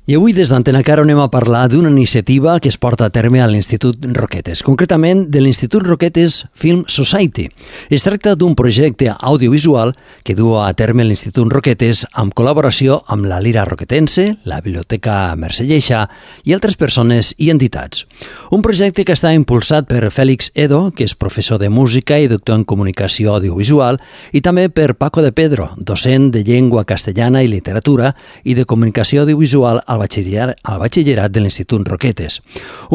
I avui des d'Antena Caro anem a parlar d'una iniciativa que es porta a terme a l'Institut Roquetes, concretament de l'Institut Roquetes Film Society. Es tracta d'un projecte audiovisual que du a terme l'Institut Roquetes amb col·laboració amb la Lira Roquetense, la Biblioteca Mercè Lleixà i altres persones i entitats. Un projecte que està impulsat per Félix Edo, que és professor de música i doctor en comunicació audiovisual, i també per Paco de Pedro, docent de llengua castellana i literatura i de comunicació audiovisual al batxillerat de l'Institut Roquetes.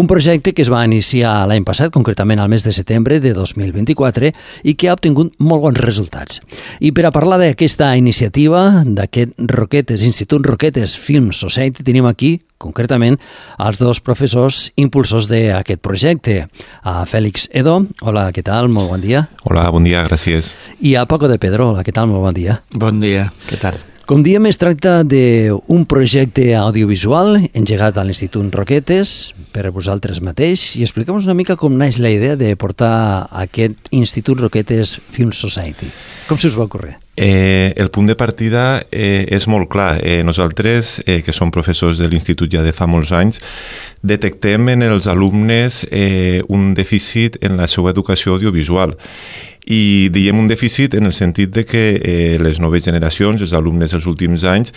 Un projecte que es va iniciar l'any passat, concretament al mes de setembre de 2024, i que ha obtingut molt bons resultats. I per a parlar d'aquesta iniciativa, d'aquest Institut Roquetes Film Society, tenim aquí, concretament, els dos professors impulsors d'aquest projecte. A Félix Edo, hola, què tal? Molt bon dia. Hola, bon dia, gràcies. I a Paco de Pedro, hola, què tal? Molt bon dia. Bon dia, què tal? Com diem, es tracta d'un projecte audiovisual engegat a l'Institut Roquetes per a vosaltres mateix, i expliquem-nos una mica com naix la idea de portar aquest Institut Roquetes Film Society. Com se us va ocórrer? El punt de partida és molt clar. Nosaltres, que som professors de l'Institut ja de fa molts anys, detectem en els alumnes un dèficit en la seva educació audiovisual. I diem un dèficit en el sentit de que les noves generacions, els alumnes dels últims anys,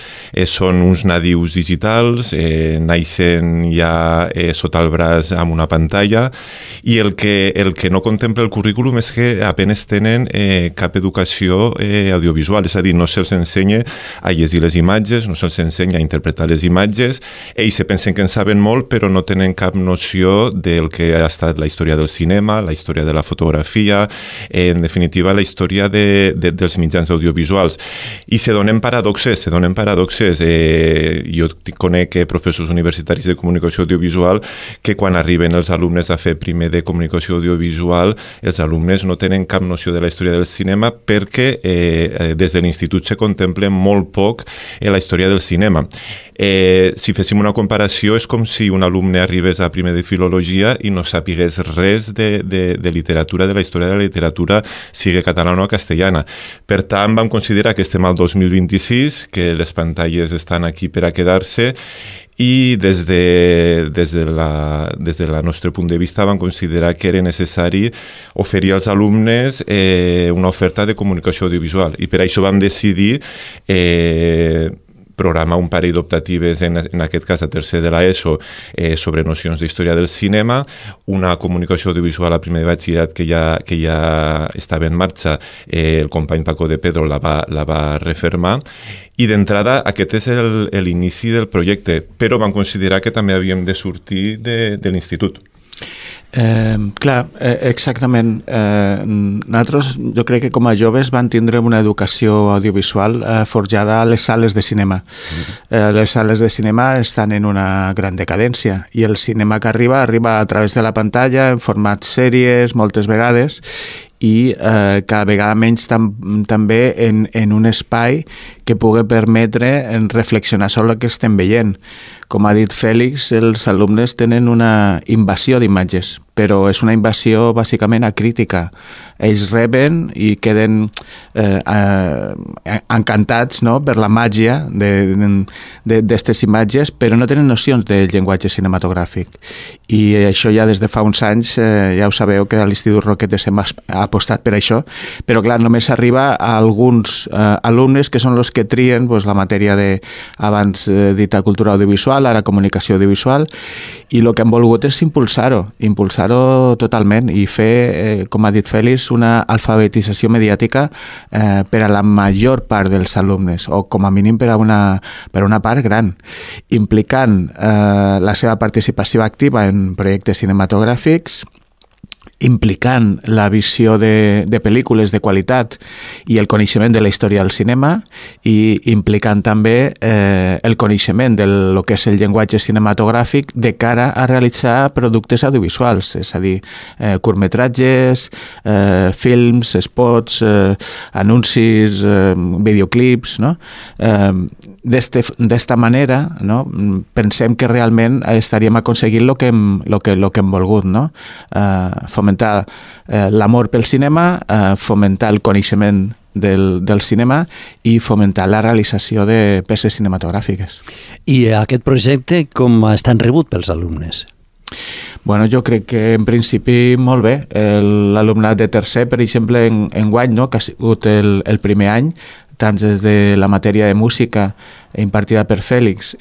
són uns nadius digitals, naixen ja sota el braç amb una pantalla, i el que no contempla el currículum és que apenas tenen cap educació audiovisual, és a dir, no se'ls ensenya a llegir les imatges, no se'ls ensenya a interpretar les imatges. Ells se pensen que en saben molt, però no tenen cap noció del que ha estat la història del cinema, la història de la fotografia, en definitiva la història dels mitjans audiovisuals. I se donen paradoxes. Jo conec professors universitaris de comunicació audiovisual que quan arriben els alumnes a fer primer de comunicació audiovisual, els alumnes no tenen cap noció de la història del cinema perquè des de l'institut se contempla molt poc la història del cinema. Si féssim una comparació, és com si un alumne arribés a primer de filologia i no sapigués res de literatura, de la història de la literatura, sigui catalana o castellana. Per tant, vam considerar que estem al 2026, que les pantalles estan aquí per a quedar-se, i des del nostre punt de vista vam considerar que era necessari oferir als alumnes una oferta de comunicació audiovisual. I per això vam decidir programar un parell d'optatives, en aquest cas a tercer de l'ESO, sobre nocions d'història del cinema, una comunicació audiovisual a primer de batxillerat que ja estava en marxa, el company Paco de Pedro la va refermar, i d'entrada aquest és l'inici del projecte, però vam considerar que també havíem de sortir de l'institut. Exactament. Nosaltres, jo crec que com a joves van tindre una educació audiovisual forjada a les sales de cinema. Les sales de cinema estan en una gran decadència i el cinema que arriba a través de la pantalla en format sèries moltes vegades, i cada vegada menys també en un espai que pugui permetre reflexionar sobre el que estem veient. Com ha dit Fèlix, els alumnes tenen una invasió d'imatges, però és una invasió bàsicament acrítica. Ells reben i queden encantats, no?, per la màgia d'aquestes imatges, però no tenen nocions de llenguatge cinematogràfic. I això ja des de fa uns anys, ja ho sabeu, que a l'Institut Roquetes hem apostat per això, però clar, només arriba a alguns alumnes que són els que trien la matèria abans dita cultura audiovisual, ara comunicació audiovisual, i el que hem volgut és impulsar-ho totalment i fer, com ha dit Fèlix, una alfabetització mediàtica per a la major part dels alumnes, o com a mínim per a una part gran, implicant la seva participació activa en projectes cinematogràfics, implicant la visió de pel·lícules de qualitat i el coneixement de la història del cinema, i implicant també el coneixement del que és el llenguatge cinematogràfic de cara a realitzar productes audiovisuals, és a dir, curtmetratges, films, spots, anuncis, videoclips, no? D'esta manera, no? Pensem que realment estaríem aconseguint el que hem volgut, no? Fomentar l'amor pel cinema, fomentar el coneixement del cinema i fomentar la realització de peces cinematogràfiques. I aquest projecte com ha estat rebut pels alumnes? Bueno, jo crec que en principi molt bé. L'alumnat de tercer, per exemple, enguany, no, que ha sigut el primer any, tant des de la matèria de música impartida per Fèlix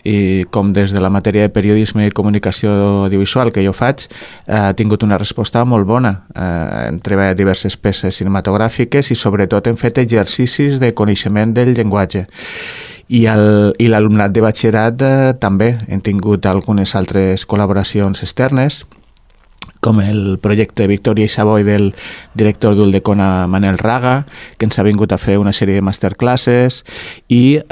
com des de la matèria de periodisme i comunicació audiovisual que jo faig, ha tingut una resposta molt bona. Hem treballat diverses peces cinematogràfiques i sobretot hem fet exercicis de coneixement del llenguatge. I l'alumnat de batxillerat també hem tingut algunes altres col·laboracions externes, com el projecte Victòria i Savoy del director d'Uldecona Manel Raga, que ens ha vingut a fer una sèrie de masterclasses, i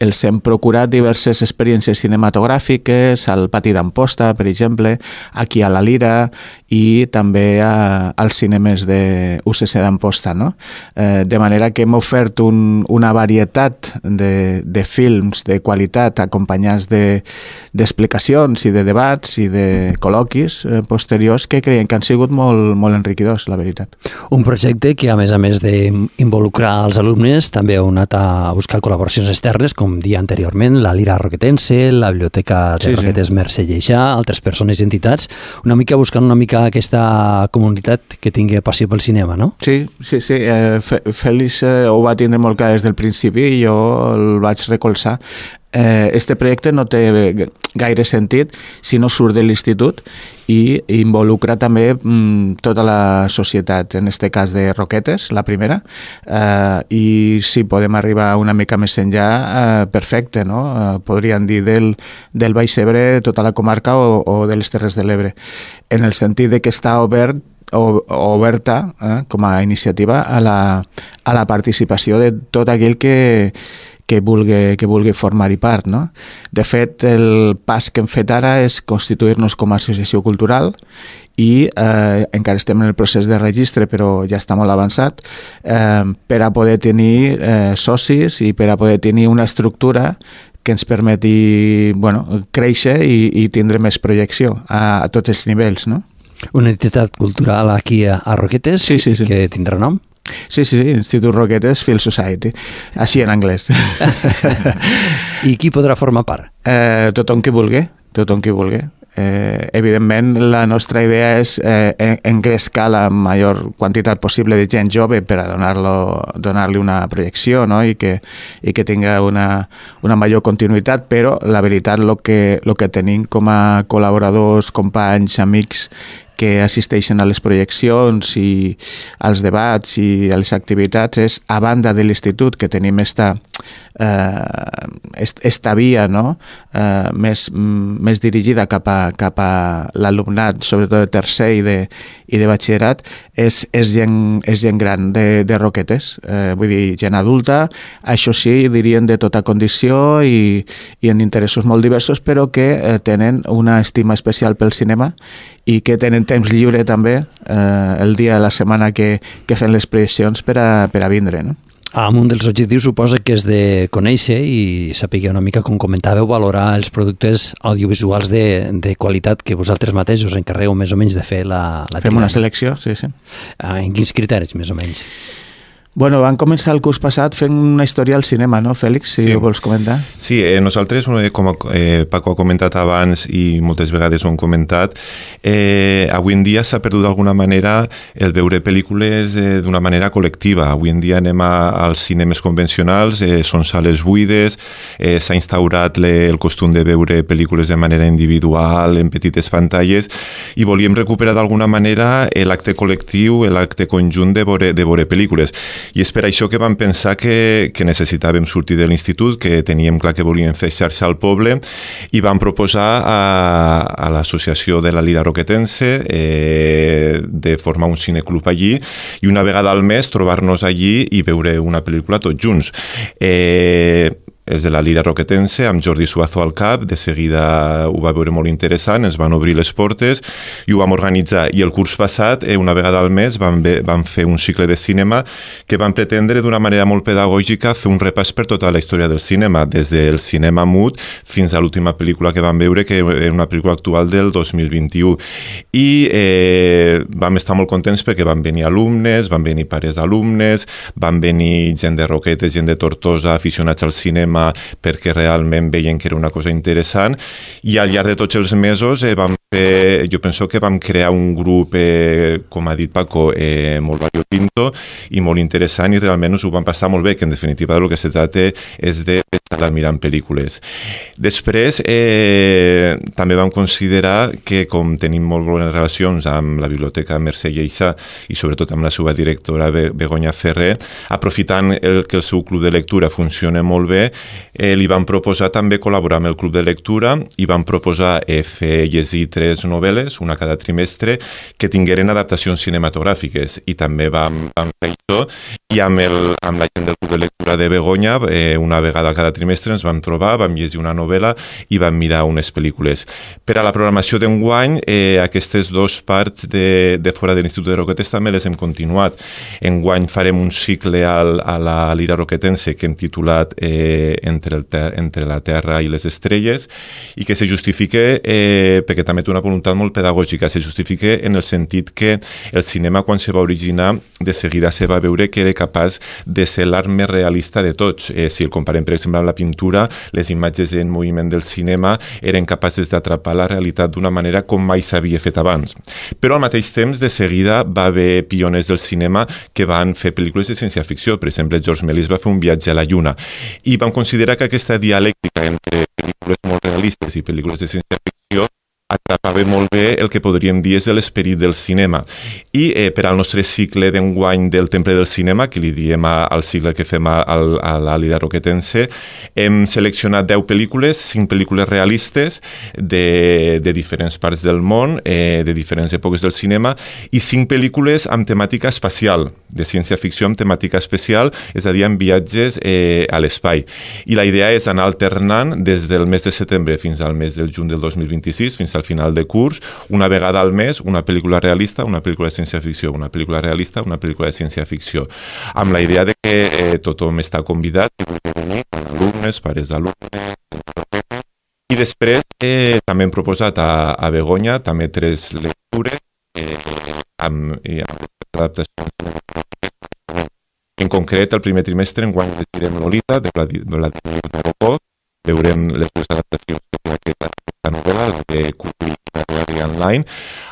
els hem procurat diverses experiències cinematogràfiques al Pati d'Amposta, per exemple, aquí a la Lira i també als cinemes de UCC d'Amposta, no? De manera que hem ofert una varietat de films de qualitat acompanyats d'explicacions i de debats i de col·loquis posteriors que creiem que han sigut molt, molt enriquidors, la veritat. Un projecte que, a més d'involucrar els alumnes, també heu anat a buscar col·laboracions externes, com dia anteriorment, la Lira Roquetense, la Biblioteca de Roquetes Mercè Lleixà, altres persones i entitats, una mica buscant aquesta comunitat que tingui passió pel cinema, no? Sí. Fèlix ho va tindre molt clar des del principi i jo el vaig recolzar. Este projecte no té gaire sentit si no surt de l'institut i involucra també tota la societat, en este cas de Roquetes, la primera, i si podem arribar una mica més enllà, perfecte, no? Podríem dir del Baix Ebre, tota la comarca o de les Terres de l'Ebre, en el sentit de que està oberta com a iniciativa a la participació de tot aquell que vulgui formar-hi part, no? De fet, el pas que hem fet ara és constituir-nos com a associació cultural i encara estem en el procés de registre, però ja està molt avançat, per a poder tenir socis i per a poder tenir una estructura que ens permeti créixer i tindre més projecció a tots els nivells, no? Una entitat cultural aquí a Roquetes que tindrà nom? Sí, Institut Roquetes Film Society, així en anglès. I qui podrà formar part? Tothom qui vulgui. Evidentment, la nostra idea és engrescar la major quantitat possible de gent jove per a donar-li una projecció, no? i que tinga una major continuïtat, però la veritat el que tenim com a col·laboradors, companys, amics que assisteixen a les projeccions i als debats i a les activitats és, a banda de l'institut, que tenim esta via, no? més dirigida cap a l'alumnat, sobretot de tercer i de batxillerat, és gent gran de Roquetes, vull dir, gent adulta, això sí, dirien de tota condició i en interessos molt diversos, però que tenen una estima especial pel cinema i que tenen temps lliure també el dia de la setmana que fem les projeccions per a vindre, no? Un dels objectius suposa que és de conèixer i saber una mica, com comentàveu, valorar els productes audiovisuals de qualitat que vosaltres mateixos encarregueu més o menys de fer la Fem una selecció, sí. En quins criteris, més o menys? Bueno, vam començar el curs passat fent una història al cinema, no, Fèlix? Si ho vols comentar. Sí, nosaltres, com Paco ha comentat abans i moltes vegades ho hem comentat, avui en dia s'ha perdut d'alguna manera el veure pel·lícules d'una manera col·lectiva. Avui en dia anem als cinemes convencionals, són sales buides, s'ha instaurat el costum de veure pel·lícules de manera individual, en petites pantalles, i volíem recuperar d'alguna manera l'acte col·lectiu, l'acte conjunt de veure pel·lícules. I és per això que vam pensar que necessitàvem sortir de l'institut, que teníem clar que volíem fer xarxa al poble, i vam proposar a l'associació de la Lira Roquetense de formar un cineclub allí i una vegada al mes trobar-nos allí i veure una pel·lícula tots junts. és de la Lira Roquetense, amb Jordi Suazo al cap. De seguida ho va veure molt interessant, ens van obrir les portes i ho vam organitzar. I el curs passat, una vegada al mes, vam fer un cicle de cinema que vam pretendre d'una manera molt pedagògica fer un repàs per tota la història del cinema, des del cinema mut fins a l'última pel·lícula que vam veure, que era una pel·lícula actual del 2021. I vam estar molt contents perquè van venir alumnes, van venir pares d'alumnes, van venir gent de Roquetes, gent de Tortosa, aficionats al cinema, perquè realment veien que era una cosa interessant, i al llarg de tots els mesos jo penso que vam crear un grup, com ha dit Paco, molt variopinto i molt interessant, i realment us ho vam passar molt bé, que en definitiva del que se trata és d'estar mirant pel·lícules. Després, també vam considerar que, com tenim molt bones relacions amb la Biblioteca Mercè Lleixà i sobretot amb la seva directora Begoña Ferrer, aprofitant que el seu club de lectura funciona molt bé, li vam proposar també col·laborar amb el club de lectura i vam proposar fer llegir 3 novel·les, una cada trimestre, que tingueren adaptacions cinematogràfiques, i també vam fer això, i amb la gent del club de lectura de Begoña, una vegada cada trimestre ens vam trobar, vam llegir una novel·la i vam mirar unes pel·lícules. Per a la programació d'enguany, aquestes 2 parts de fora de l'Institut de Roquetes també les hem continuat. Enguany farem un cicle a la Lira Roquetense que hem titulat entre la Terra i les estrelles, i que se justifica, perquè també té una voluntat molt pedagògica, se justifica en el sentit que el cinema, quan se va originar, de seguida se va veure que era capaç de ser l'art més realista de tots. Si el comparem, per exemple, amb la pintura, les imatges en moviment del cinema eren capaces d'atrapar la realitat d'una manera com mai s'havia fet abans. Però al mateix temps, de seguida, va haver pioners del cinema que van fer pel·lícules de ciència-ficció. Per exemple, George Méliès va fer un viatge a la Lluna. I vam considerar que aquesta dialèctica entre pel·lícules molt realistes i pel·lícules de ciència-ficció atrapava molt bé el que podríem dir és l'esperit del cinema. I per al nostre cicle d'enguany del Temple del Cinema, que li diem al cicle que fem a la Lira Roquetense, hem seleccionat 10 pel·lícules, 5 pel·lícules realistes de diferents parts del món, de diferents èpoques del cinema, i 5 pel·lícules amb temàtica espacial, de ciència-ficció amb temàtica especial, és a dir, amb viatges a l'espai. I la idea és anar alternant des del mes de setembre fins al mes del juny del 2026, fins al final de curs, una vegada al mes, una pel·lícula realista, una pel·lícula de ciència-ficció, una pel·lícula realista, una pel·lícula de ciència-ficció, amb la idea de que tothom està convidat, que pugui venir, alumnes, pares d'alumnes, i després també hem proposat a Begoña també 3 lectures amb adaptacions. En concret, el primer trimestre enguany llegirem Lolita, de Vladimir Nabokov, veurem les 2 adaptacions que té aquesta novel·la, la de Kubrick i Online.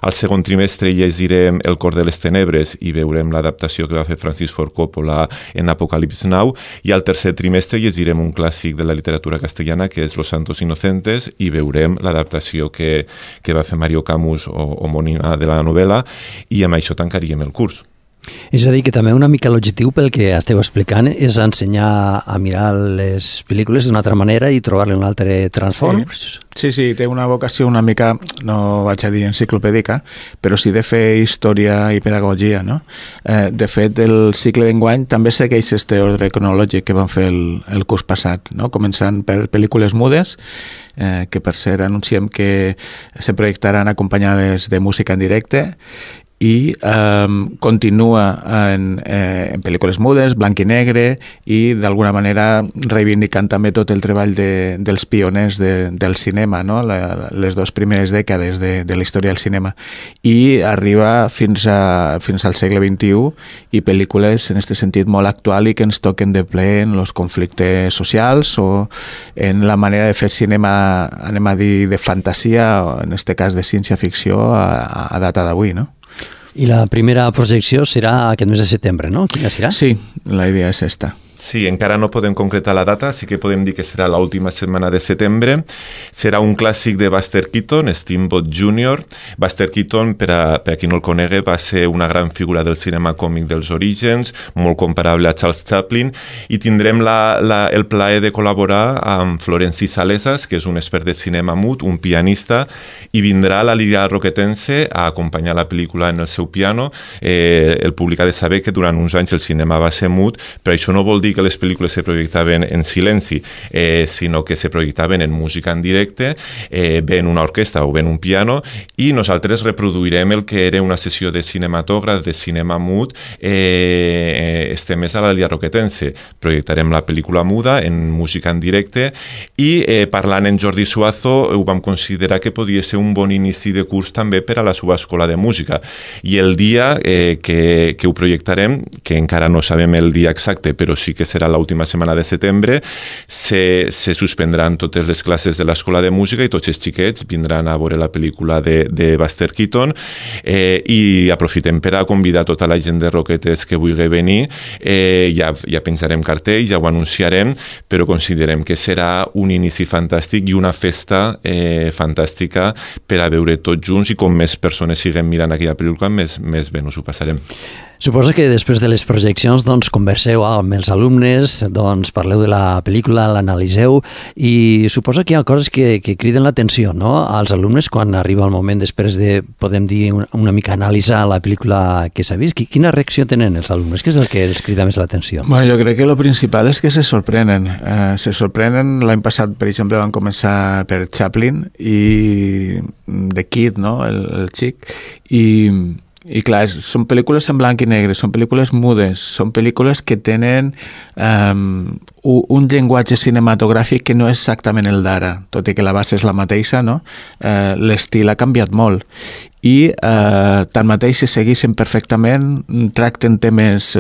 Al segon trimestre llegirem El cor de les tenebres i veurem l'adaptació que va fer Francis Ford Coppola en Apocalypse Now, i al tercer trimestre llegirem un clàssic de la literatura castellana que és Los Santos Inocentes i veurem l'adaptació que va fer Mario Camus homònima de la novel·la, i amb això tancaríem el curs. És a dir, que també una mica l'objectiu pel que esteu explicant és ensenyar a mirar les pel·lícules d'una altra manera i trobar-li un altre transform? Sí, té una vocació una mica, no vaig a dir enciclopèdica, però sí de fer història i pedagogia, no? De fet, el cicle d'enguany també segueix este ordre cronològic que vam fer el curs passat, no? Començant per pel·lícules mudes, que per cert anunciem que se projectaran acompanyades de música en directe, i continua en pel·lícules mudes, blanc i negre, i d'alguna manera reivindicant també tot el treball dels pioners del cinema, no? Les 2 primeres dècades de la història del cinema, i arriba fins al segle XXI, i pel·lícules en aquest sentit molt actual i que ens toquen de ple en els conflictes socials o en la manera de fer cinema, anem a dir, de fantasia, o en aquest cas de ciència-ficció a data d'avui, no? I la primera projecció serà aquest mes de setembre, no? Quina serà? Sí, la idea és esta. Sí, encara no podem concretar la data, sí que podem dir que serà l'última setmana de setembre. Serà un clàssic de Buster Keaton, Steamboat Jr. Buster Keaton, per a qui no el conegui, va ser una gran figura del cinema còmic dels orígens, molt comparable a Charles Chaplin, i tindrem el plaer de col·laborar amb Florenci Salesas, que és un expert de cinema mut, un pianista, i vindrà a la Lira Roquetense a acompanyar la pel·lícula en el seu piano. El públic ha de saber que durant uns anys el cinema va ser mut, però això no vol dir dir que les pel·lícules se projectaven en silenci, sinó que se projectaven en música en directe, ben una orquestra o ben un piano, i nosaltres reproduirem el que era una sessió de cinematògraf, de cinema mut, este mes a la Lia Roquetense. Projectarem la pel·lícula muda en música en directe i parlant en Jordi Suazo ho vam considerar que podia ser un bon inici de curs també per a la seva escola de música. I el dia que ho projectarem, que encara no sabem el dia exacte, però sí que serà l'última setmana de setembre, se suspendran totes les classes de l'escola de música i tots els xiquets vindran a veure la pel·lícula de Buster Keaton i aprofitem per a convidar tota la gent de Roquetes que vulgui venir. Ja pensarem cartells, ja ho anunciarem, però considerem que serà un inici fantàstic i una festa fantàstica per a veure tots junts, i com més persones siguem mirant aquella pel·lícula, més bé nos ho passarem. Suposo que després de les projeccions converseu amb els alumnes, parleu de la pel·lícula, l'analiseu, i suposo que hi ha coses que criden l'atenció, no?, als alumnes quan arriba el moment després de, podem dir, una mica analitzar la pel·lícula que s'ha vist. Quina reacció tenen els alumnes? Què és el que els crida més l'atenció? Bueno, jo crec que lo principal és que se sorprenen. L'any passat, per exemple, van començar per Chaplin i The Kid, no?, el xic, i clar, són pel·lícules en blanc i negre, són pel·lícules mudes, són pel·lícules que tenen un llenguatge cinematogràfic que no és exactament el d'ara, tot i que la base és la mateixa, no? L'estil ha canviat molt. I tanmateix se segueixen perfectament, tracten temes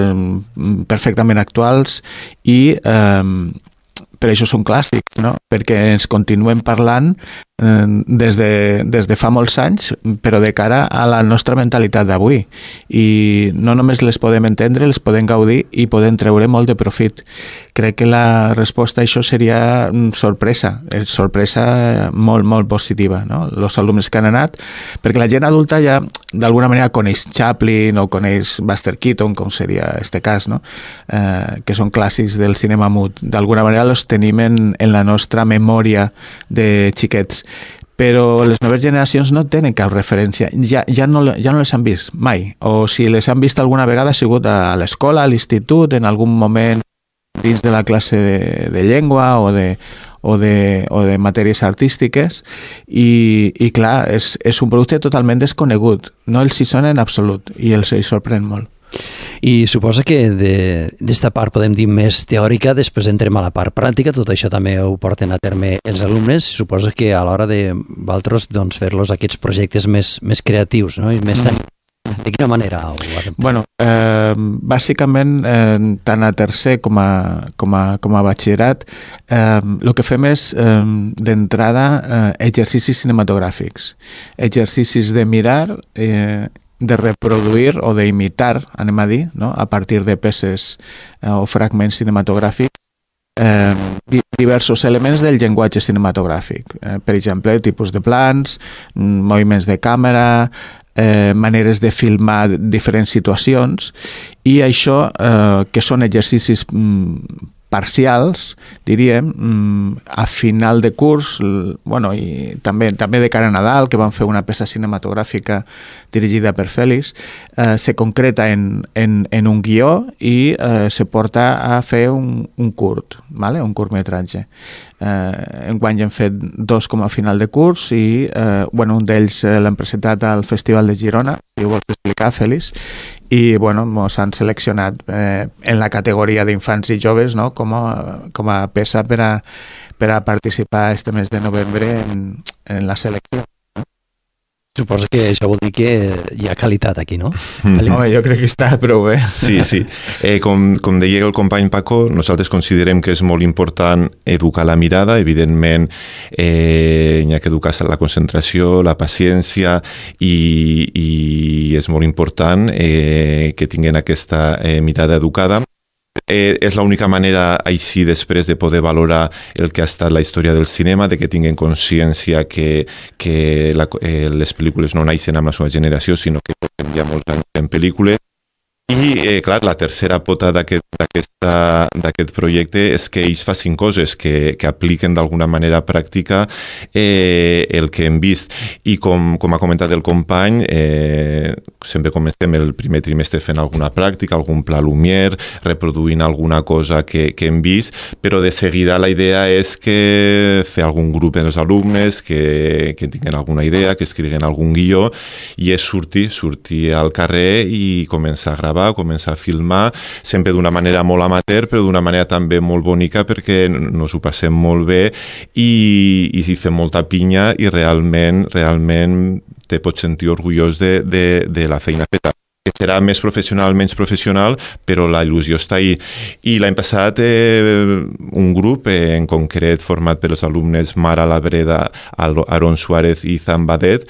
perfectament actuals i per això són clàssics, no? Perquè ens continuem parlant des de fa molts anys, però de cara a la nostra mentalitat d'avui. I no només les podem entendre, les podem gaudir i podem treure molt de profit. Crec que la resposta a això seria sorpresa molt, molt positiva, no? Els alumnes que han anat, perquè la gent adulta ja d'alguna manera coneix Chaplin o coneix Buster Keaton, com seria este cas, no? Que són clàssics del cinema mut. D'alguna manera els tenim en la nostra memòria de xiquets. Però les noves generacions no tenen cap referència, ja no les han vist mai, o si les han vist alguna vegada ha sigut a l'escola, a l'institut, en algun moment dins de la classe de llengua o de matèries artístiques, i clar, és un producte totalment desconegut, no els hi sona en absolut i els hi sorprèn molt. I suposa que d'esta part, podem dir, més teòrica, després entrem a la part pràctica, tot això també ho porten a terme els alumnes, suposa que a l'hora de vosaltres fer-los aquests projectes més creatius, no? I més de quina manera ho fem? Bueno, bàsicament, tant a tercer com a batxillerat, el que fem és, d'entrada, exercicis cinematogràfics, exercicis de mirar, de reproduir o d'imitar, anem a dir, no?, a partir de peces o fragments cinematogràfics, diversos elements del llenguatge cinematogràfic. Per exemple, tipus de plans, moviments de càmera, maneres de filmar diferents situacions, i això, que són exercicis parcials, diríem, a final de curs, bueno, i també de cara a Nadal, que van fer una peça cinematogràfica dirigida per Fèlix, se concreta en un guió i se porta a fer un curt, ¿vale? Un curtmetratge. Enguany hem fet 2 com a final de curs i bueno, un d'ells l'hem presentat al Festival de Girona, si ho vols explicar, Fèlix, i bueno, ens han seleccionat en la categoria d'infants i joves, no?, com a peça per a participar este mes de novembre en la selecció. Suposo que això vol dir que hi ha qualitat aquí, no? Home, jo crec que està prou bé. Sí. Com deia el company Paco, nosaltres considerem que és molt important educar la mirada. Evidentment, hi ha que educar la concentració, la paciència, i és molt important que tinguin aquesta mirada educada. És l'única manera així després de poder valorar el que ha estat la història del cinema, de que tinguin consciència que les pel·lícules no naixen amb la seva generació, sinó que portem ja molts anys en pel·lícules, I, clar, la tercera pota d'aquest projecte és que ells facin coses que apliquen d'alguna manera pràctica el que hem vist. I com ha comentat el company, sempre comencem el primer trimestre fent alguna pràctica, algun pla Lumière, reproduint alguna cosa que hem vist, però de seguida la idea és que fer algun grup amb els alumnes, que tinguin alguna idea, que escriguin algun guió, i és sortir al carrer i començar a gravar, començar a filmar, sempre d'una manera molt amateur, però d'una manera també molt bonica perquè nos ho passem molt bé i fem molta pinya i realment te pots sentir orgullós de la feina feta. Que serà més professional, menys professional, però la il·lusió està ahí. I l'any passat un grup, en concret format per els alumnes Mara Labreda, Aaron Suárez i Zan Badet,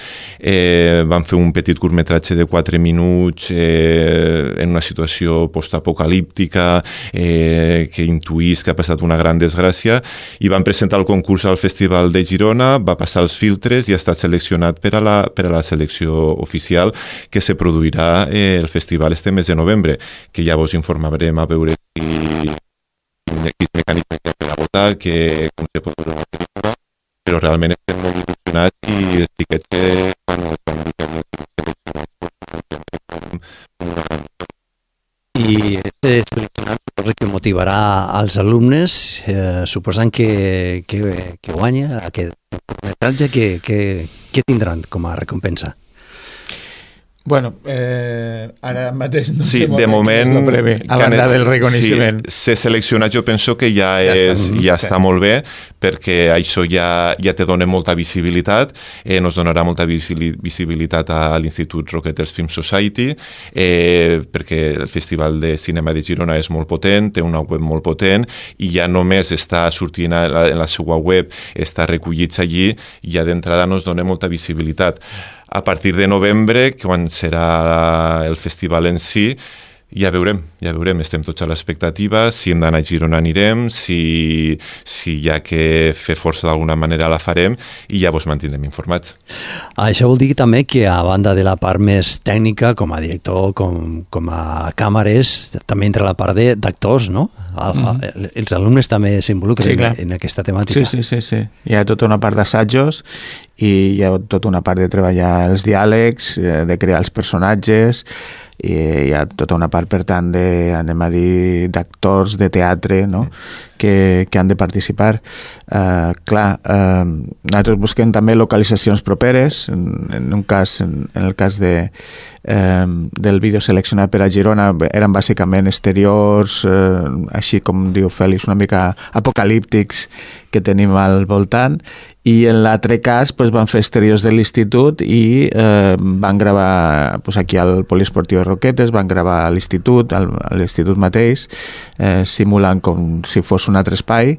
van fer un petit curtmetratge de 4 minuts en una situació postapocalíptica que intuís que ha passat una gran desgràcia, i van presentar el concurs al Festival de Girona, va passar els filtres i ha estat seleccionat per a la selecció oficial que se produirà el festival este mes de novembre, que ja vos informarem a veure quins mecanismes hi ha per a votar, com se pot veure una pel·lícula, però realment estem molt il·lusionats i els tiquets que quan els van dir que havien sigut seleccionats una gran... I aquest seleccionat suposa que motivarà als alumnes, suposant que guanya aquest curtmetratge, què tindran com a recompensa? Bueno, ara mateix no sé de moment, a banda del reconeixement. Si ser seleccionat jo penso que ja està molt bé, perquè això ja te dona molta visibilitat, nos donarà molta visibilitat a l'Institut Roquetes Film Society, perquè el Festival de Cinema de Girona és molt potent, té una web molt potent, i ja només està sortint en la seva web, està recollits allí, i ja d'entrada nos dona molta visibilitat. A partir de novembre, quan serà el festival en si, ja veurem, estem tots a l'expectativa, si hem d'anar a Girona anirem, si hi ha que fer força d'alguna manera la farem, i ja vos mantindrem informats. Això vol dir també que a banda de la part més tècnica, com a director, com a càmeres, també entra la part d'actors, no? Els alumnes també s'involucren en aquesta temàtica. Sí. Hi ha tota una part d'assajos i hi ha tota una part de treballar els diàlegs, de crear els personatges, i hi ha tota una part, per tant, d'actors, de teatre, no? que han de participar. Nosaltres busquem també localitzacions properes. En el cas del vídeo seleccionat per a Girona eren bàsicament exteriors, així com diu Fèlix, una mica apocalíptics que tenim al voltant, i en l'altre cas van fer exteriors de l'institut i van gravar aquí al Poliesportiu de Roquetes, van gravar a l'institut mateix, simulant com si fos un altre espai,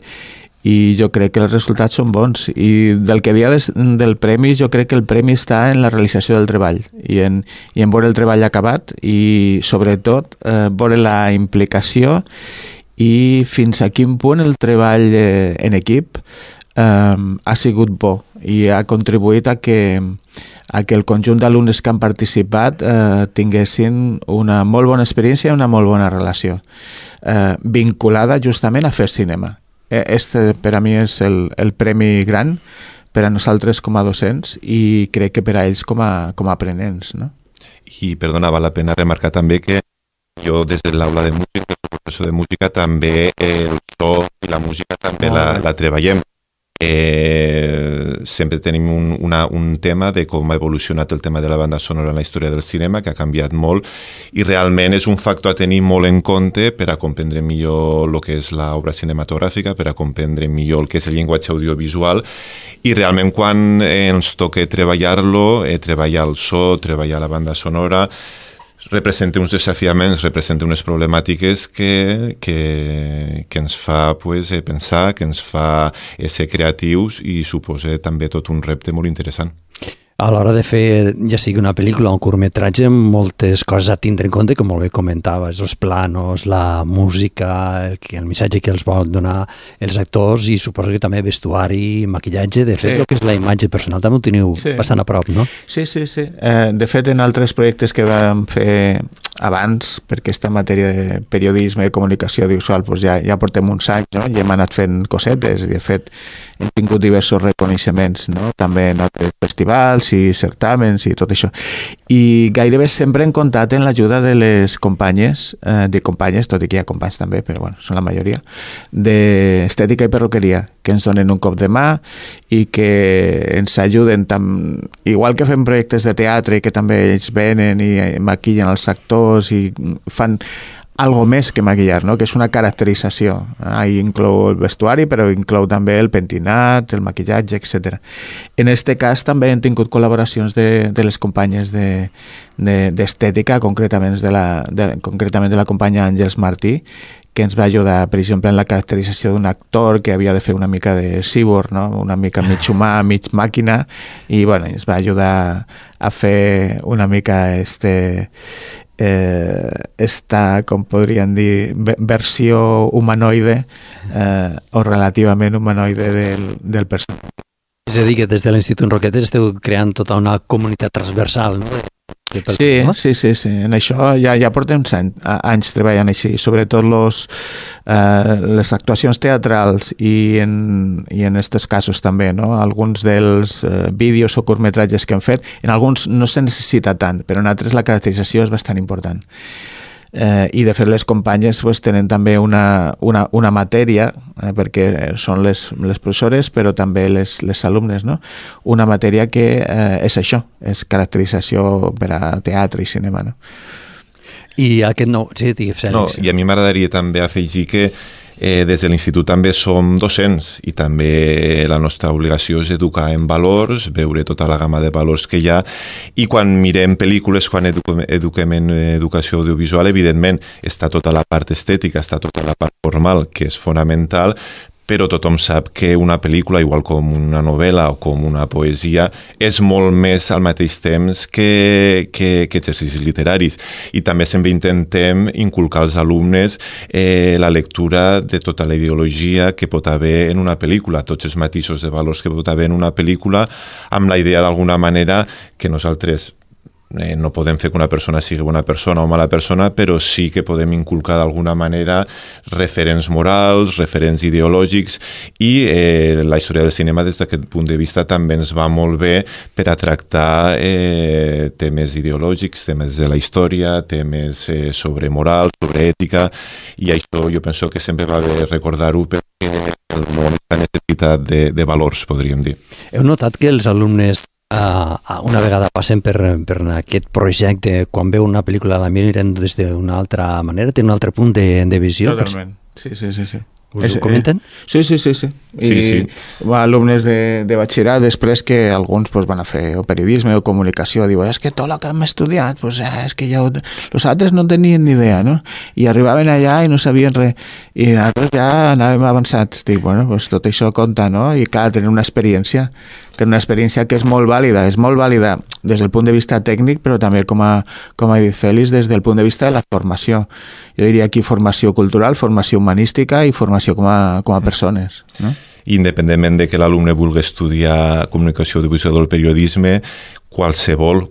i jo crec que els resultats són bons. I del que dia del premi, jo crec que el premi està en la realització del treball i en veure el treball acabat i, sobretot, veure la implicació i fins a quin punt el treball en equip ha sigut bo i ha contribuït a que el conjunt d'alumnes que han participat tinguessin una molt bona experiència i una molt bona relació, vinculada justament a fer cinema. Este per a mi és el premi gran per a nosaltres com a docents i crec que per a ells com a aprenents, no? I, perdona, val la pena remarcar també que jo des de l'aula de música, el professor de música, també el so i la música també la treballem. Sempre tenim un tema de com ha evolucionat el tema de la banda sonora en la història del cinema, que ha canviat molt, i realment és un factor a tenir molt en compte per a comprendre millor el que és l'obra cinematogràfica, per a comprendre millor el que és el llenguatge audiovisual, i realment quan ens toca treballar-lo, treballar el so, treballar la banda sonora, representa uns desafiaments, representa unes problemàtiques que ens fa pensar, que ens fa ser creatius i suposa també tot un repte molt interessant. A l'hora de fer, ja sigui una pel·lícula o un curtmetratge, moltes coses a tindre en compte, com molt bé comentaves, els planos, la música, el missatge que els vol donar els actors, i suposo que també vestuari, maquillatge. De fet, el que és la imatge personal també ho teniu bastant a prop, no? Sí. De fet, en altres projectes que vam fer abans, perquè aquesta matèria de periodisme i comunicació audiovisual doncs ja portem uns anys, no? I hem anat fent cosetes, i de fet hem tingut diversos reconeixements, no? També en altres festivals i certàmens i tot això. I gairebé sempre hem comptat en l'ajuda de les companyes, tot i que hi ha companys també, però bueno, són la majoria, d'estètica i perruqueria, que ens donen un cop de mà i que ens ajuden igual que fem projectes de teatre que també ells venen i maquillen els actors i fan algo més que maquillar, no? Que és una caracterització. Ahí inclou el vestuari, però inclou també el pentinat, el maquillatge, etc. En este cas també hem tingut col·laboracions de les companyes d'estètica, concretament de la companya Àngels Martí, que ens va ajudar, per exemple, en la caracterització d'un actor que havia de fer una mica de cyborg, no? Una mica mig humà, mig màquina, i bueno, ens va ajudar a fer una mica esta, com podríem dir, versió humanoide o relativament humanoide del personatge. És a dir, que des de l'Institut Roquetes esteu creant tota una comunitat transversal, no? Sí. En això ja portem anys treballant així, sobretot les actuacions teatrals i en aquests casos també, no? Alguns dels vídeos o curtmetratges que hem fet, en alguns no se necessita tant, però en altres la caracterització és bastant important. I de fet les companyes pues, tenen també una matèria, perquè són les professores però també les alumnes, no? Una matèria que és això, és caracterització per a teatre i cinema, no? I aquest nou... Sí, digues, Fèlix. No, i a mi m'agradaria també afegir que des de l'Institut també som docents i també la nostra obligació és educar en valors, veure tota la gamma de valors que hi ha, i quan mirem pel·lícules, quan eduquem en educació audiovisual, evidentment està tota la part estètica, està tota la part formal, que és fonamental, però tothom sap que una pel·lícula, igual com una novel·la o com una poesia, és molt més al mateix temps que exercicis literaris. I també sempre intentem inculcar als alumnes la lectura de tota la ideologia que pot haver en una pel·lícula, tots els matisos de valors que pot haver en una pel·lícula, amb la idea d'alguna manera que nosaltres no podem fer que una persona sigui bona persona o mala persona, però sí que podem inculcar d'alguna manera referents morals, referents ideològics, i la història del cinema des d'aquest punt de vista també ens va molt bé per a tractar temes ideològics, temes de la història, temes sobre moral, sobre ètica, i això jo penso que sempre va bé recordar-ho perquè el món està necessitat de valors, podríem dir. Heu notat que els alumnes una vegada passen per aquest projecte, quan veu una pel·lícula la miren des d'una altra manera, té un altre punt de visió? Totalment, sí. Us ho comenten? Sí. I alumnes de batxillerat, després que alguns van a fer o periodisme o comunicació, diuen, és que tot el que hem estudiat, és que ja els altres no tenien ni idea, no? I arribaven allà i no sabien res, i nosaltres ja anàvem avançats. Dic, tot això compta, no? I clar, tenir una experiència que és molt vàlida des del punt de vista tècnic, però també, com ha dit Fèlix, des del punt de vista de la formació. Jo diria aquí formació cultural, formació humanística i formació com a persones, no? Independentment de que l'alumne vulgui estudiar comunicació audiovisual o periodisme, qualsevol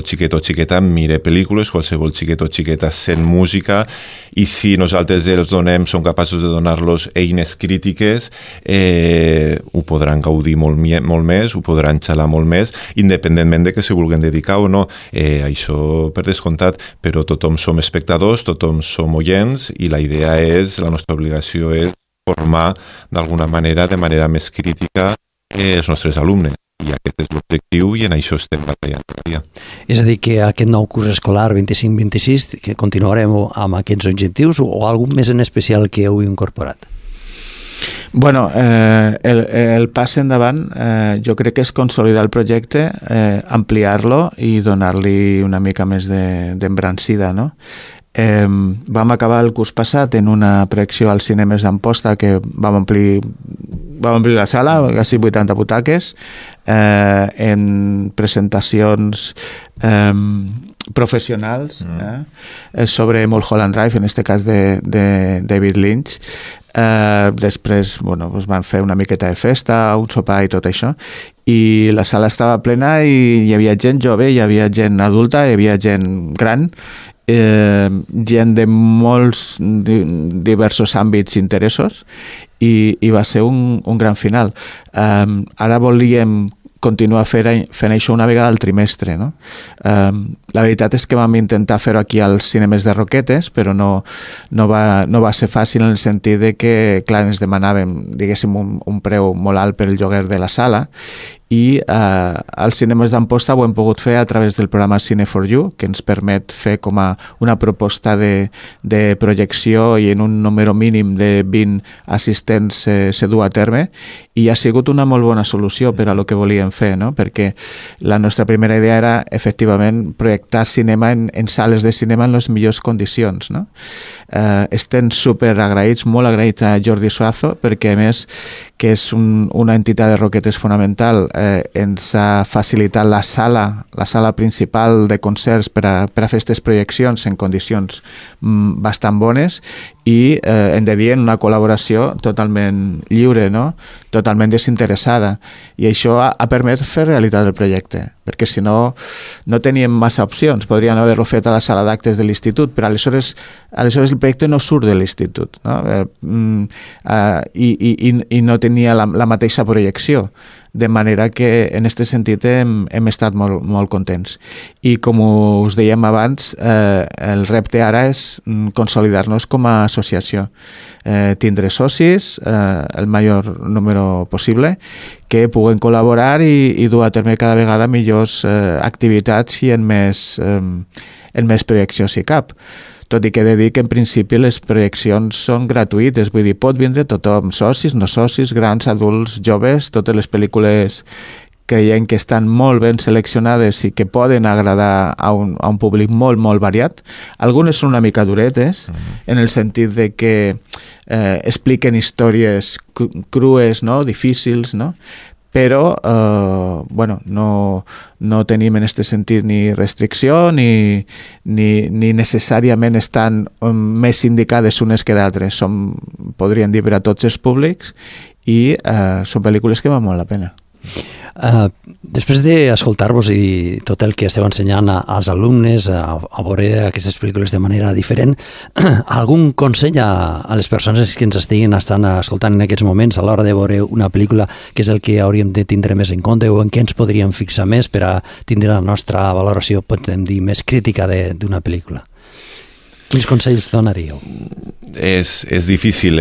xiquet o xiqueta mira pel·lícules, qualsevol xiquet o xiqueta sent música, i si nosaltres som capaços de donar-los eines crítiques, ho podran gaudir molt més, ho podran xalar molt més, independentment de que se vulguin dedicar o no. Això per descomptat, però tothom som espectadors, tothom som oients, i la idea la nostra obligació és formar d'alguna manera, de manera més crítica, els nostres alumnes. I aquest és l'objectiu, i en això estem batallant cada dia. És a dir, que aquest nou curs escolar 25-26 que continuarem amb aquests objectius, o algun més en especial que heu incorporat? Bueno, el pas endavant jo crec que és consolidar el projecte, ampliar-lo i donar-li una mica més d'embrancida, no? Vam acabar el curs passat en una projecció als cinemes d'Amposta, que vam omplir la sala, quasi 80 butaques, en presentacions professionals sobre Mulholland Drive, en aquest cas de David Lynch. Després van fer una miqueta de festa, un sopar i tot això, i la sala estava plena i hi havia gent jove, hi havia gent adulta, hi havia gent gran, gent de molts diversos àmbits i interessos, i va ser un gran final. Ara volíem continuar fent això una vegada al trimestre, no? La veritat és que vam intentar fer-ho aquí als cinemes de Roquetes, però no va ser fàcil, en el sentit de que, clar, ens demanàvem, diguéssim, un preu molt alt per el lloguer de la sala, i als cinemes d'Amposta ho hem pogut fer a través del programa Cine for You, que ens permet fer com a una proposta de projecció, i en un número mínim de 20 assistents se du a terme, i ha sigut una molt bona solució per a lo que volíem fer, no? Perquè la nostra primera idea era efectivament projectar cinema en sales de cinema en les millors condicions, no? Estem super agraïts, molt agraïts a Jordi Suazo, perquè a més, que és una entitat de Roquetes fonamental, ens ha facilitat la sala principal de concerts per a fer aquestes projeccions en condicions bastant bones, i hem de dir, en una col·laboració totalment lliure, no? Totalment desinteressada, i això ha permès fer realitat el projecte, perquè si no teníem massa opcions. Podríem haver-lo fet a la sala d'actes de l'institut, però aleshores el projecte no surt de l'institut, no? I no tenia la mateixa projecció, de manera que en aquest sentit hem estat molt contents. I com us dèiem abans, el repte ara és consolidar-nos com a associació, tindre socis, el major número possible, que puguen col·laborar i dur a terme cada vegada millors activitats i en més projeccions si cap. Tot i que he de dir que en principi les projeccions són gratuïtes, vull dir, pot vindre tothom, socis, no socis, grans, adults, joves, totes les pel·lícules creiem que estan molt ben seleccionades i que poden agradar a un públic molt, molt variat. Algunes són una mica duretes, en el sentit de que expliquen històries crues, no? Difícils, no? Però no tenim en aquest sentit ni restricció ni necessàriament estan més indicades unes que d'altres. Podríem dir, per a tots els públics, i són pel·lícules que val molt la pena. Després d'escoltar-vos i tot el que esteu ensenyant als alumnes a veure aquestes pel·lícules de manera diferent, algun consell a les persones que ens estiguin escoltant en aquests moments a l'hora de veure una pel·lícula, que és el que hauríem de tindre més en compte, o en què ens podríem fixar més per a tindre la nostra valoració, podem dir, més crítica d'una pel·lícula? Quins consells donaríeu? És difícil,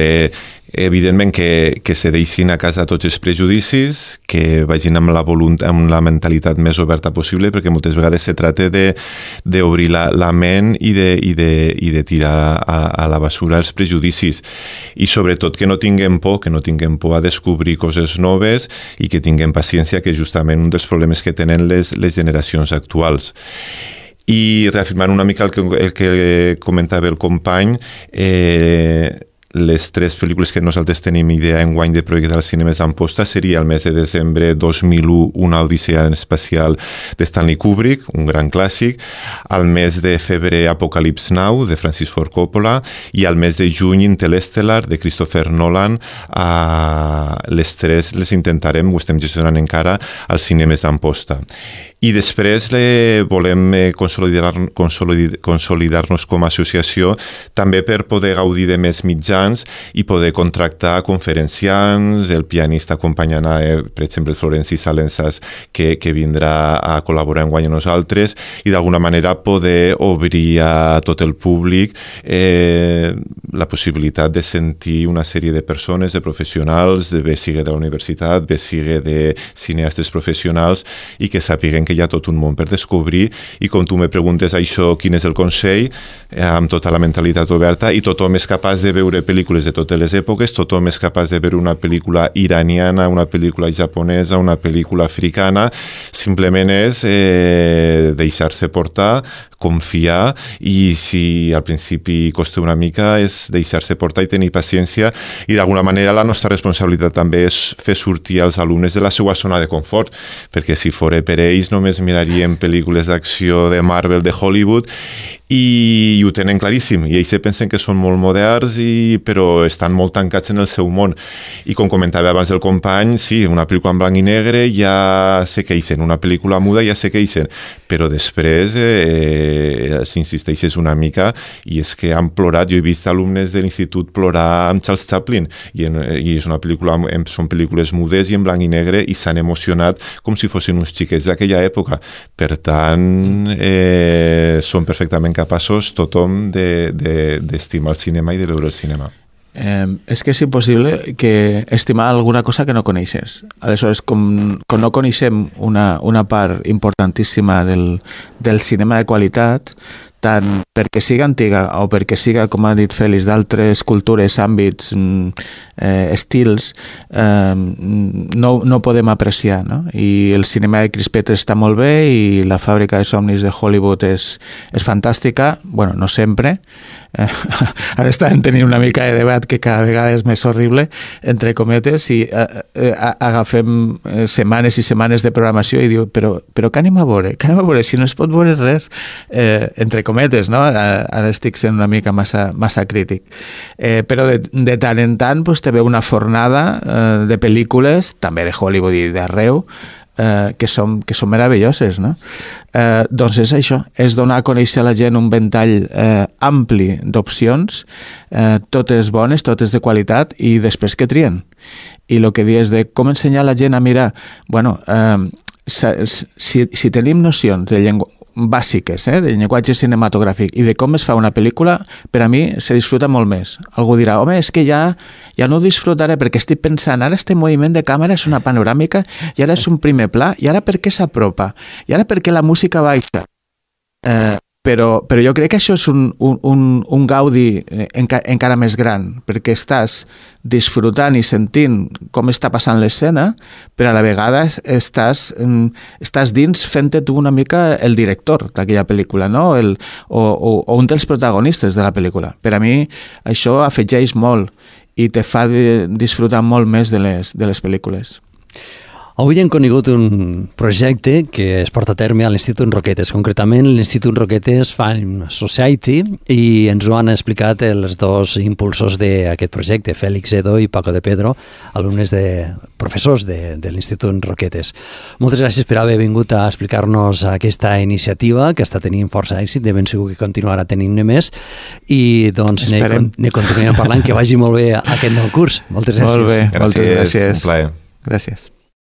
evidentment que se deixin a casa tots els prejudicis, que vagin amb la mentalitat més oberta possible, perquè moltes vegades se trata d'obrir la ment i de tirar a la basura els prejudicis, i sobretot que no tinguem por a descobrir coses noves, i que tinguem paciència, que és justament un dels problemes que tenen les generacions actuals. I reafirmant una mica el que comentava el company, les 3 pel·lícules que nosaltres tenim idea enguany de projectar als cinemes d'Amposta seria el mes de desembre 2001, Una odissea espacial de Stanley Kubrick, un gran clàssic, al mes de febrer Apocalypse Now, de Francis Ford Coppola, i al mes de juny Interstellar, de Christopher Nolan. Les 3 les intentarem, ho estem gestionant encara, als cinemes d'Amposta. I després volem consolidar-nos com a associació, també per poder gaudir de més mitjans i poder contractar conferenciants, el pianista acompanyant, per exemple, Florenci Salensas, que vindrà a col·laborar enguany amb nosaltres, i d'alguna manera poder obrir a tot el públic la possibilitat de sentir una sèrie de persones, de professionals, bé sigui de la universitat, bé sigui de cineastes professionals, i que sàpiguen que hi ha tot un món per descobrir. I com tu me preguntes això, quin és el consell, amb tota la mentalitat oberta, i tothom és capaç de veure pel·lícules de totes les èpoques, tothom és capaç de veure una pel·lícula iraniana, una pel·lícula japonesa, una pel·lícula africana, simplement és deixar-se portar, confiar, i si al principi costa una mica és deixar-se portar i tenir paciència, i d'alguna manera la nostra responsabilitat també és fer sortir els alumnes de la seva zona de confort, perquè si fora per ells només mirarien pel·lícules d'acció de Marvel, de Hollywood, i ho tenen claríssim, i ells pensen que són molt moderns, però estan molt tancats en el seu món. I com comentava abans el company, sí, una pel·lícula en blanc i negre ja se queixen, una pel·lícula muda ja se queixen, però després s'insisteix una mica, i és que han plorat, jo he vist alumnes de l'institut plorar amb Charles Chaplin, i és una pel·lícula, són pel·lícules mudes i en blanc i negre, i s'han emocionat com si fossin uns xiquets d'aquella època. Per tant, són perfectament capaços tothom d'estimar el cinema i de veure el cinema. És que és impossible que estimar alguna cosa que no coneixes. Aleshores, com no coneixem una part importantíssima del cinema de qualitat, tant perquè siga antiga o perquè siga, com ha dit Fèlix, d'altres cultures, àmbits, estils, no podem apreciar, no? I el cinema de crispetes està molt bé i la fàbrica de somnis de Hollywood és fantàstica, bueno, no sempre. Ara estàvem tenint una mica de debat que cada vegada és més horrible, entre cometes, i agafem setmanes i setmanes de programació i diu, però què anem a veure? Què anem a veure? Si no es pot veure res, entre cometes, no? Ara estic sent una mica massa crític. Però de tant en tant pues, te ve una fornada de pel·lícules, també de Hollywood i d'arreu, que són meravelloses, no? Doncs és això, és donar a conèixer a la gent un ventall ampli d'opcions, totes bones, totes de qualitat, i després que trien. I el que dius de com ensenyar a la gent a mirar, bueno, si tenim nocions de llengua bàsiques, de llenguatge cinematogràfic i de com es fa una pel·lícula, per a mi se disfruta molt més. Algú dirà, home, és que ja no ho disfrutaré perquè estic pensant, ara este moviment de càmera és una panoràmica i ara és un primer pla, i ara per què s'apropa? I ara per què la música baixa? Però jo crec que això és un gaudi encara més gran, perquè estàs disfrutant i sentint com està passant l'escena, però a la vegada estàs dins fent-te tu una mica el director d'aquella pel·lícula, no? O un dels protagonistes de la pel·lícula. Per a mi això afegeix molt i te fa disfrutar molt més de les pel·lícules. Avui hem conegut un projecte que es porta a terme a l'Institut Roquetes, concretament l'Institut Roquetes Film Society, i ens ho han explicat els dos impulsors d'aquest projecte, Fèlix Edo i Paco de Pedro, alumnes professors de l'Institut Roquetes. Moltes gràcies per haver vingut a explicar-nos aquesta iniciativa, que està tenint força èxit, de ben segur que continuarà tenint-ne més, i doncs ne continuem parlant, que vagi molt bé aquest nou curs. Moltes gràcies. Molt bé, moltes gràcies. Un plaer. Gràcies.